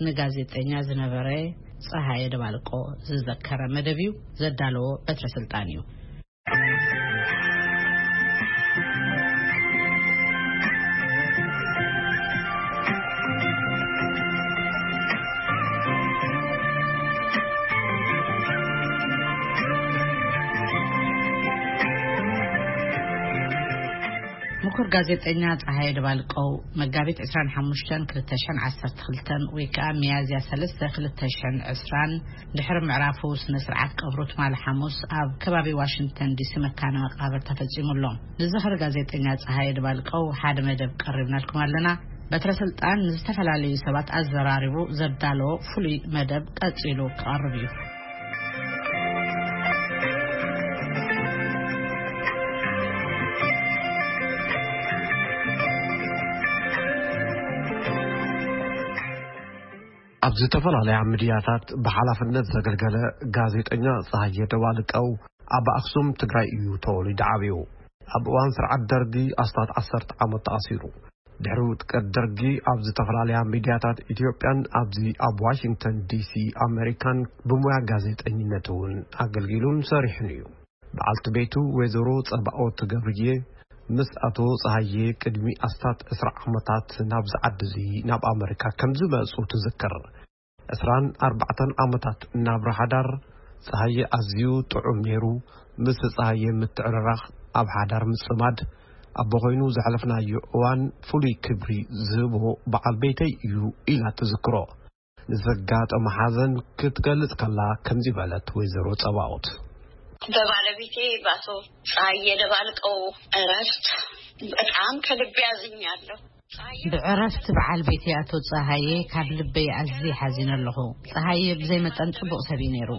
ንጋዜጠኛ ዝነበረ ጸሃየ ደባልቆ ዝዘከረ መደብ እዩ። ዘዳለዎ በትረ ስልጣን እዩ። ምኩር ጋዜጠኛ ጸሃየ ደባልቀው መጋቢት ዕስራን ሓሙሽተን ክልተ ሽሕን ዓሰርተ ክልተን ወይ ከዓ ሚያዝያ ሰለስተ ክልተ ሽሕን ዕስራን ድሕሪ ምዕራፉ ስነ ስርዓት ቀብሩ ትማሊ ሓሙስ ኣብ ከባቢ ዋሽንግተን ዲሲ መካነ መቃብር ተፈጺሙ ኣሎ። ንዝኽሪ ጋዜጠኛ ጸሃየ ደባልቀው ሓደ መደብ ቀሪብናልኩም ኣለና። በትረ ስልጣን ንዝተፈላለዩ ሰባት ኣዘራሪቡ ዘዳለዎ ፍሉይ መደብ ቀጺሉ ክቐርብ እዩ። ኣብ ዝተፈላለያ ሚድያታት ብሓላፍነት ዘገልገለ ጋዜጠኛ ጸሃየ ደባልቀው ኣብ ኣኽሱም ትግራይ እዩ ተወሊዱ ዓብዩ። ኣብ እዋን ስርዓት ደርጊ ኣስታት ዓሰርተ ዓመት ተኣሲሩ። ድሕሪ ውድቀት ደርጊ ኣብ ዝተፈላለያ ሚድያታት ኢትዮጵያን ኣብዚ ኣብ ዋሽንግተን ዲሲ ኣሜሪካን ብሞያ ጋዜጠኝነት እውን ኣገልጊሉን ሰሪሑን እዩ። በዓልቲ ቤቱ ወይዘሮ ጸባኦት ገብርዬ ምስ ኣቶ ጸሃየ ቅድሚ ኣስታት ዕስራ ዓመታት ናብዚ ዓዲ እዚ ናብ ኣሜሪካ ከም ዝመጹ ትዝክር። ዕስራን ኣርባዕተን ዓመታት ናብራ ሓዳር ጸሃየ ኣዝዩ ጥዑም ነይሩ። ምስ ጸሃየ ምትዕርራኽ ኣብ ሓዳር ምጽማድ ኣቦ ኮይኑ ዘሕለፍናዮ እዋን ፍሉይ ክብሪ ዝህቦ በዓል ቤተይ እዩ ኢላ ትዝክሮ። ንዘጋጠመ ሓዘን ክትገልጽ ከላ ከምዚ በለት ወይዘሮ ጸባኦት። በባለቤቴ በኣቶ ጸሃየ ደባልቀው እረፍት በጣም ከልቤ አዝኛለሁ። ብዕረፍቲ በዓል ቤተይ ኣቶ ጸሃየ ካብ ልበይ ኣዝየ ሓዚነ ኣለኹ። ጸሃየ ብዘይ መጠን ጽቡቕ ሰብ እዩ ነይሩ።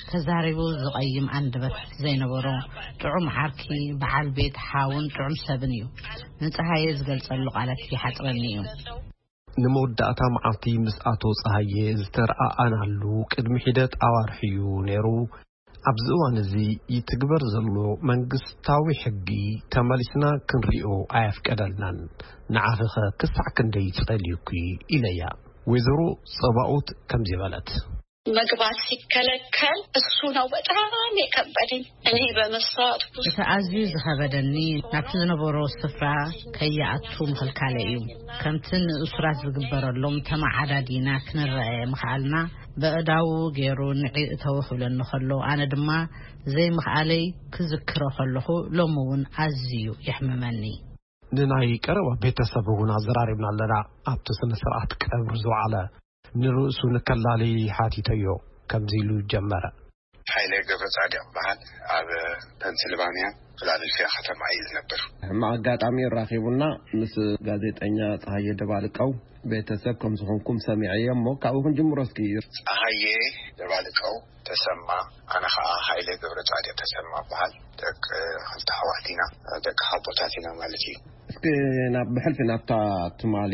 ተዛሪቡ ዝቐይም ኣንደበት ዘይነበሮ፣ ጥዑም ዓርኪ፣ በዓል ቤት፣ ሓውን ጥዑም ሰብን እዩ። ንጸሃየ ዝገልጸሉ ቃላት ይሓጽረኒ እዩ። ንመወዳእታ መዓልቲ ምስ ኣቶ ጸሃየ ዝተረኣኣናሉ ቅድሚ ሒደት ኣዋርሕ እዩ ነይሩ። ኣብዚ እዋን እዚ ይትግበር ዘሎ መንግስታዊ ሕጊ ተመሊስና ክንሪኦ ኣየፍቀደልናን። ንዓኺኸ ክሳዕ ክንደይ ጸልዩኪ? ኢለያ። ወይዘሮ ጸባኦት ከምዚ በለት። መግባት ሲከለከል እሱ ነው በጣም የከበደኝ። እኔ በመስዋዕት ውስጥ እቲ ኣዝዩ ዝኸበደኒ ናብቲ ዝነበሮ ስፍራ ከይኣቱ ምኽልካለ እዩ። ከምቲ ንእሱራት ዝግበረሎም ተመዓዳዲና ክንረኣየ ምኽኣልና በእዳዉ ገይሩ ንዒ እተው ክብለኒ ከሎ ኣነ ድማ ዘይምኽኣለይ ክዝክሮ ከለኹ ሎሚ እውን ኣዝዩ የሕምመኒ። ንናይ ቀረባ ቤተሰብ እውን ኣዘራሪብና ኣለና። ኣብቲ ስነ ስርዓት ቀብሪ ዝወዓለ ንርእሱ ንከላሊ ሓቲተዮ። ከምዚ ኢሉ ጀመረ። ሓይለ ገብረ ጻድቕ በሃል ኣብ ፐንስልቫንያ ፊላደልፊያ ከተማ እዩ ዝነብር። ሕማቕ ኣጋጣሚ ራኺቡና ምስ ጋዜጠኛ ጸሃየ ደባልቀው ቤተሰብ ከም ዝኾንኩም ሰሚዐ እየ እሞ ካብኡ ክንጅምሮ እስኪ። ጸሃየ ደባልቀው ተሰማ፣ ኣነ ኸኣ ሃይለ ገብረ ጻድቕ ተሰማ በሃል። ደቂ ክልተ ኣሕዋት ኢና፣ ደቂ ሓቦታት ኢና ማለት እዩ። እስኪ ናብ ብሕልፊ ናብታ ትማሊ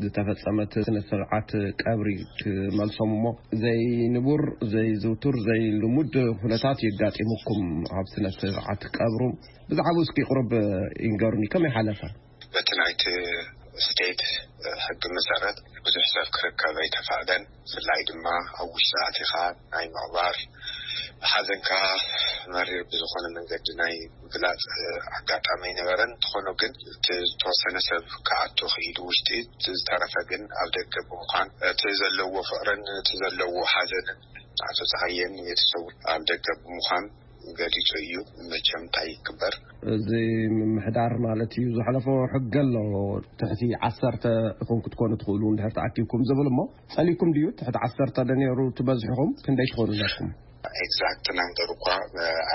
ዝተፈጸመት ስነ ስርዓት ቀብሪ ክመልሶም እሞ ዘይንቡር ዘይዝውቱር ዘይልሙድ ኩነታት የጋጢሙኩም ኣብ ስነ ስርዓት ቀብሩ። ብዛዕባኡ እስኪ ቁሩብ ይንገሩኒ፣ ከመይ ሓለፈ? በቲ ናይቲ ስቴት ሕጊ መሰረት ብዙሕ ሰብ ክርከብ ኣይተፈቕደን። ብፍላይ ድማ ኣብ ውሽጢ ኣቲኻ ናይ ምቕባር ሓዘንካ መሪር ብዝኾነ መንገዲ ናይ ምግላጽ ኣጋጣሚ ኣይነበረን። እንተኾነ ግን እቲ ዝተወሰነ ሰብ ክኣቱ ክኢሉ ውሽጢ፣ እቲ ዝተረፈ ግን ኣብ ደገ ብምዃን እቲ ዘለዎ ፍቕርን እቲ ዘለዎ ሓዘንን ኣቶ ጸሃየን ቤተሰቡ ኣብ ደገ ብምዃን ገሊጹ እዩ። መቸም እንታይ ይግበር? እዚ ምምሕዳር ማለት እዩ ዘሕለፎ ሕጊ ኣሎ። ትሕቲ ዓሰርተ ኢኹም ክትኮኑ ትኽእሉ እንድሕር ተኣኪብኩም ዝብል እሞ ጸሊኩም ድዩ? ትሕቲ ዓሰርተ ዶ ነይሩ ትበዝሕኹም? ክንደይ ትኾኑ ነርኩም? ኤግዛክት ናምበር እኳ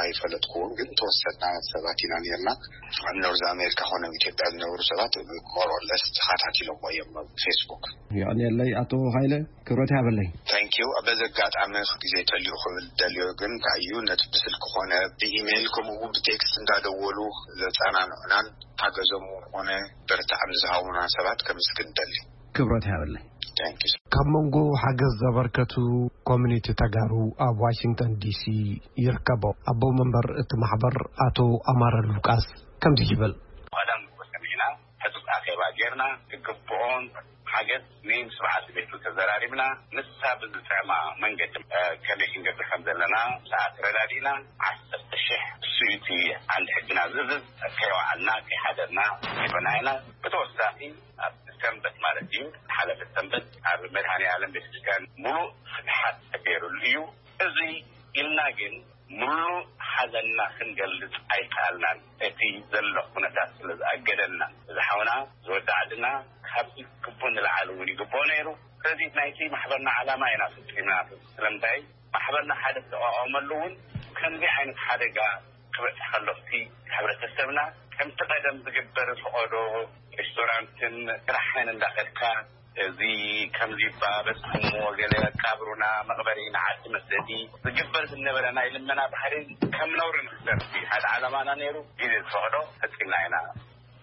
ኣይፈለጥኩዎን፣ ግን ተወሰና ሰባት ኢና ነርና። ኣብ ኖርዝ ኣሜሪካ ኮነ ኣብ ኢትዮጵያ ዝነበሩ ሰባት ሞሮለስ ተኸታቲሎሞ እዮም ኣብ ፌስቡክ። የቐንየለይ ኣቶ ሃይለ፣ ክብረት ይሃበለይ። ታንኪዩ። በዚ ኣጋጣሚ ግዜ ተልዩ ክብል ደልዮ ግን እንታይ እዩ፣ ነቲ ብስልኪ ኮነ ብኢሜይል ከምኡ እውን ብቴክስት እንዳደወሉ ዘጸናንዑናን ሓገዞም ኮነ በርትዓም ዝሃቡና ሰባት ከምስግን ደሊ። ክብረት ይሃበለይ። ታንኪዩ። ካብ መንጎ ሓገዝ ዘበርከቱ ኮሚኒቲ ተጋሩ ኣብ ዋሽንግተን ዲሲ ይርከቦ። ኣቦ መንበር እቲ ማሕበር ኣቶ ኣማረ ሉቃስ ከምዚ ይብል። ቀደም ሰሚዕና ሕጹጽ ኣኼባ ርና ዝግብኦን ሓገዝ ንስብዓት ቤቱ ተዘራሪብና። ንሳ ብዝጥዕማ መንገዲ ከመይ ክንገብር ከም ዘለና ሰዓት ረዳዲና። ዓሰርተ ሽሕ እሱዩቲ ዓንድ ሕግና ዝዝዝ ከይወዓልና ከይሓደርና ይበና ኢና። ብተወሳኺ ኣብ ሰንበት ማለት እዩ፣ ሓለፈ ሰንበት ኣብ መድሃኔ ዓለም ቤተክርስትያን ሙሉእ ፍትሓት ተገይሩሉ እዩ። እዚ ኢልና ግን ሙሉእ ሓዘንና ክንገልጽ ኣይከኣልናን። እቲ ዘሎ ኩነታት ስለ ዝኣገደና፣ እዚ ሓውና ዝወዲ ዓድና ካብዚ ግቡእ ንላዕሊ እውን ይግብኦ ነይሩ። ስለዚ ናይቲ ማሕበርና ዓላማ ኢና ፈጺምና። ስለምንታይ ማሕበርና ሓደ ዝተቋቋመሉ እውን ከምዚ ዓይነት ሓደጋ ክበጽሕ ከሎ እቲ ሕብረተሰብና ከምቲ ቀደም ዝግበር ፈቐዶ ሬስቶራንትን ስራሕን እንዳኸድካ እዚ ከምዚ እባ በጽሕሞ ገለ መቃብሩና መቕበሪ ንዓዲ መስደዲ ዝግበር ዝነበረ ናይ ልመና ባህሪ ከም ነውሪ ንክሰርሲ ሓደ ዓላማና ነይሩ። ግዜ ዝፈቕዶ ፈጺምና ኢና።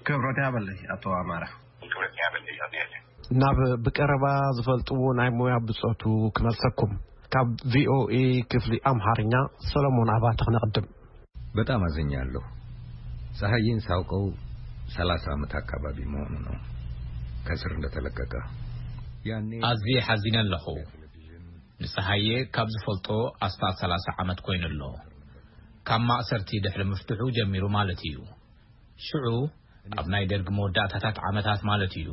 ክብረት ያበለይ ኣቶ ኣማራ። ክብረት ያበለይ ኣቶ ያለ። ናብ ብቀረባ ዝፈልጥዎ ናይ ሞያ ብጾቱ ክመልሰኩም። ካብ ቪኦኤ ክፍሊ ኣምሓርኛ ሰሎሞን ኣባተ ክነቕድም። በጣም አዝኛለሁ። ፀሐይን ሳውቀው ሰላሳ ዓመት አካባቢ መሆኑ ነው ከስር እንደተለቀቀ። ያኔ አዝየ ሓዚነ ኣለኹ። ንፀሃየ ካብ ዝፈልጦ ኣስታት ሰላሳ ዓመት ኮይኑ ኣሎ። ካብ ማእሰርቲ ድሕሪ ምፍትሑ ጀሚሩ ማለት እዩ። ሽዑ ኣብ ናይ ደርግ መወዳእታታት ዓመታት ማለት እዩ።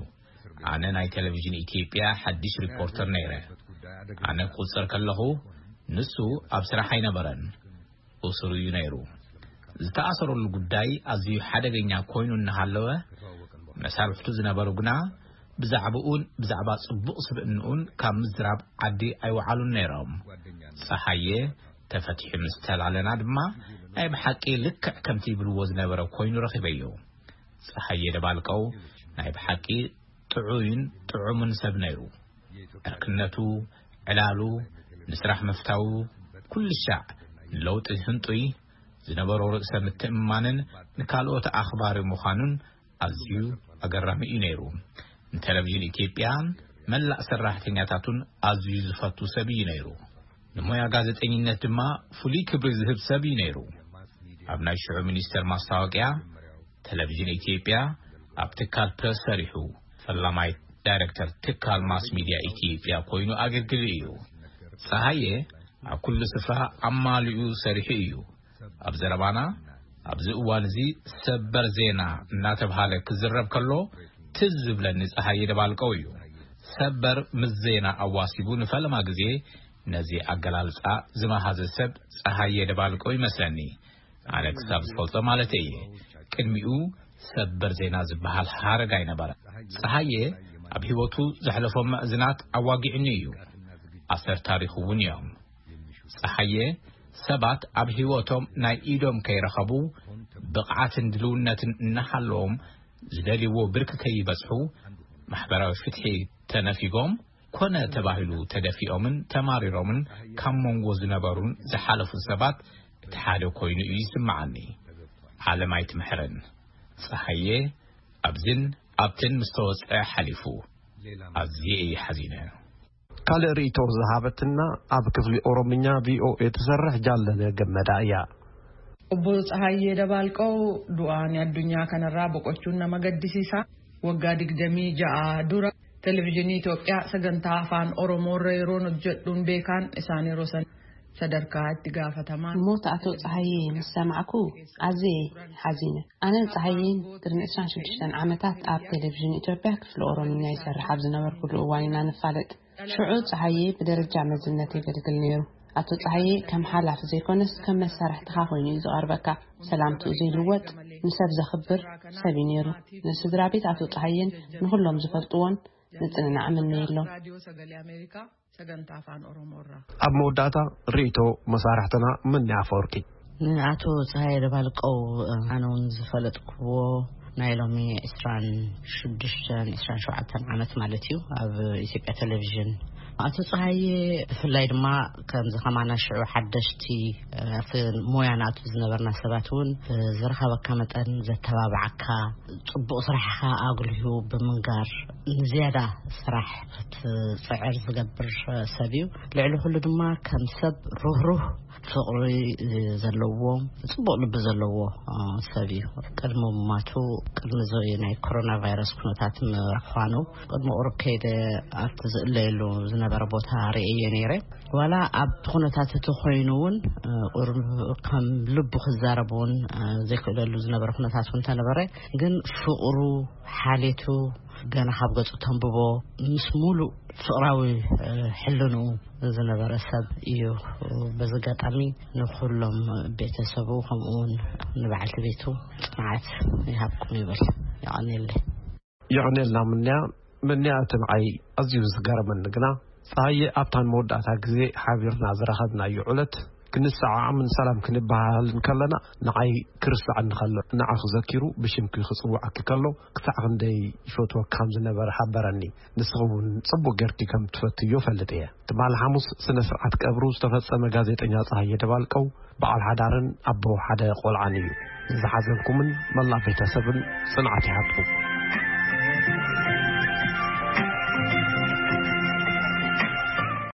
ኣነ ናይ ቴሌቪዥን ኢትዮጵያ ሓድሽ ሪፖርተር ነይረ። ኣነ ክቁጸር ከለኹ ንሱ ኣብ ስራሕ ኣይነበረን። እሱር እዩ ነይሩ። ዝተኣሰረሉ ጉዳይ ኣዝዩ ሓደገኛ ኮይኑ እናሃለወ፣ መሳርሕቱ ዝነበሩ ግና ብዛዕባኡን ብዛዕባ ጽቡቕ ስብእንኡን ካብ ምዝራብ ዓዲ ኣይወዓሉን ነይሮም። ጸሃየ ተፈቲሑ ምስ ተላለና ድማ ናይ ብሓቂ ልክዕ ከምቲ ይብልዎ ዝነበረ ኮይኑ ረኺበዮ። ጸሃየ ደባልቀው ናይ ብሓቂ ጥዑይን ጥዑምን ሰብ ነይሩ። ዕርክነቱ፣ ዕላሉ፣ ንስራሕ ምፍታዉ፣ ኩሉ ሻዕ ንለውጢ ህንጡይ ዝነበሮ ርእሰ ምትእምማንን ንካልኦት ኣኽባሪ ምዃኑን ኣዝዩ ኣገራሚ እዩ ነይሩ። ንቴሌቪዥን ኢትዮጵያን መላእ ሰራሕተኛታቱን ኣዝዩ ዝፈቱ ሰብ እዩ ነይሩ። ንሞያ ጋዜጠኝነት ድማ ፍሉይ ክብሪ ዝህብ ሰብ እዩ ነይሩ። ኣብ ናይ ሽዑ ሚኒስተር ማስታወቅያ፣ ቴሌቪዥን ኢትዮጵያ፣ ኣብ ትካል ፕረስ ሰሪሑ፣ ፈላማይ ዳይሬክተር ትካል ማስ ሚድያ ኢትዮጵያ ኮይኑ ኣገልግሉ እዩ። ጸሃየ ኣብ ኩሉ ስፍራ ኣማሊኡ ሰሪሑ እዩ። ኣብ ዘረባና፣ ኣብዚ እዋን እዚ ሰበር ዜና እናተብሃለ ክዝረብ ከሎ ትዝ ዝብለኒ ጸሃየ ደባልቀው እዩ። ሰበር ምስ ዜና ኣዋሲቡ ንፈለማ ግዜ ነዚ ኣገላልጻ ዝመሃዘ ሰብ ጸሃየ ደባልቀው ይመስለኒ። ኣነ ክሳብ ዝፈልጦ ማለት እየ። ቅድሚኡ ሰበር ዜና ዝበሃል ሃረግ ኣይነበረ። ጸሃየ ኣብ ህይወቱ ዘሕለፎም መእዝናት ኣዋጊዕኒ እዩ። ኣሰር ታሪኹ እውን እዮም። ጸሃየ ሰባት ኣብ ህይወቶም ናይ ኢዶም ከይረኸቡ ብቕዓትን ድልውነትን እናሃለዎም ዝደልይዎ ብርኪ ከይበጽሑ ማሕበራዊ ፍትሒ ተነፊጎም ኮነ ተባሂሉ ተደፊኦምን ተማሪሮምን ካብ መንጎ ዝነበሩን ዝሓለፉን ሰባት እቲ ሓደ ኮይኑ እዩ ይስምዓኒ። ዓለም ኣይትምሕረን። ጸሃየ ኣብዝን ኣብትን ምስ ተወጸ ሓሊፉ። ኣዝየ እየ ሓዚነ። ካልእ ርእይቶ ዝሃበትና ኣብ ክፍሊ ኦሮምኛ ቪኦኤ ትሰርሕ ጃለነ ገመዳ እያ። Obbo Tsahaayyee Dabaalqoo du'aan addunyaa kanarraa boqochuun nama gaddisiisa. Waggaa digdamii ja'a dura Televezyiinii Itoophiyaa sagantaa afaan Oromoo irra yeroon hojjedhuun beekaan isaan yeroo san sadarkaa itti gaafatamaan. ሞት ኣቶ ፀሃየ ምስ ሰማዕኩ ኣዝየ ሓዚነ። ኣነ ፀሃየን ቅድሚ ዕስራን ሽዱሽተን ዓመታት ኣብ ቴሌቪዥን ኢትዮጵያ ክፍሊ ኦሮምኛ ይሰርሕ ኣብ ዝነበርኩሉ እዋን ኢና ንፋለጥ። ሽዑ ፀሃየ ብደረጃ መዝነት የገልግል ነይሩ። ኣቶ ፀሃየ ከም ሓላፊ ዘይኮነስ ከም መሳርሕትኻ ኮይኑ እዩ ዝቐርበካ። ሰላምትኡ ዘይልወጥ፣ ንሰብ ዘኽብር ሰብ እዩ ነይሩ። ንስድራ ቤት ኣቶ ፀሃየን ንኹሎም ዝፈልጥዎን ምፅንናዕ እምነየሎም። Raadiyoo Sagalee Ameerikaa sagantaa afaan Oromoo irraa. ኣብ መወዳእታ ርእይቶ መሳርሕትና ምኒ ኣፈወርቂ። ንኣቶ ፀሃየ ደባልቀው ኣነ እውን ዝፈለጥክዎ ናይ ሎሚ ዕስራን ሽዱሽተን ዕስራን ሸውዓተን ዓመት ማለት እዩ ኣብ ኢትዮጵያ ቴሌቪዥን ኣቶ ፀሃየ፣ ብፍላይ ድማ ከምዚ ከማና ሽዑ ሓደሽቲ ኣብቲ ሞያ ንኣቱ ዝነበርና ሰባት እውን ዝረኸበካ መጠን ዘተባብዓካ፣ ጽቡቕ ስራሕኻ ኣጉልሁ ብምንጋር ንዝያዳ ስራሕ ክትጽዕር ዝገብር ሰብ እዩ። ልዕሊ ኩሉ ድማ ከም ሰብ ርህሩህ፣ ፍቕሪ ዘለዎ፣ ጽቡቕ ልቢ ዘለዎ ሰብ እዩ። ቅድሚ ሙማቱ፣ ቅድሚ እዚ ናይ ኮሮና ቫይረስ ኩነታት ምዃኑ፣ ቅድሚ ቁሩብ ከይደ ኣብቲ ዝእለየሉ ዝነበረ ቦታ ርእየ ነይረ። ዋላ ኣብ ኩነታት እቲ ኮይኑ እውን ቁሩብ ከም ልቡ ክዛረብ እውን ዘይክእለሉ ዝነበረ ኩነታት እውን ተነበረ። ግን ፍቕሩ፣ ሓሌቱ ገና ካብ ገጹ ተንብቦ፣ ምስ ሙሉእ ፍቕራዊ ሕልንኡ ዝነበረ ሰብ እዩ። በዚ ኣጋጣሚ ንኹሎም ቤተሰቡ፣ ከምኡ እውን ንበዓልቲ ቤቱ ጽንዓት ይሃብኩም ይብል። የቐንየለይ። የቐንየልና ምንያ። ምንያ፣ እቲ ንዓይ ኣዝዩ ዝገረመኒ ግና፣ ጸሃየ ኣብታ ንመወዳእታ ግዜ ሓቢርና ዝረኸብናዮ ዕለት ክንሰዓዓምን ሰላም ክንበሃሃልን ከለና፣ ንዓይ ክርስዓኒ ከሎ፣ ንዓኺ ዘኪሩ ብሽምኪ ክጽውዓኪ ከሎ፣ ክሳዕ ክንደይ ይፈትወኪ ከም ዝነበረ ሓበረኒ። ንስኺ እውን ጽቡቕ ጌርኪ ከም ትፈትዮ እፈልጥ እየ። ትማሊ ሓሙስ ስነ ስርዓት ቀብሩ ዝተፈጸመ ጋዜጠኛ ጸሃየ ደባልቀው በዓል ሓዳርን ኣቦ ሓደ ቆልዓን እዩ። ንዝሓዘንኩምን መላእ ቤተሰብን ጽንዓት ይሃብኩም።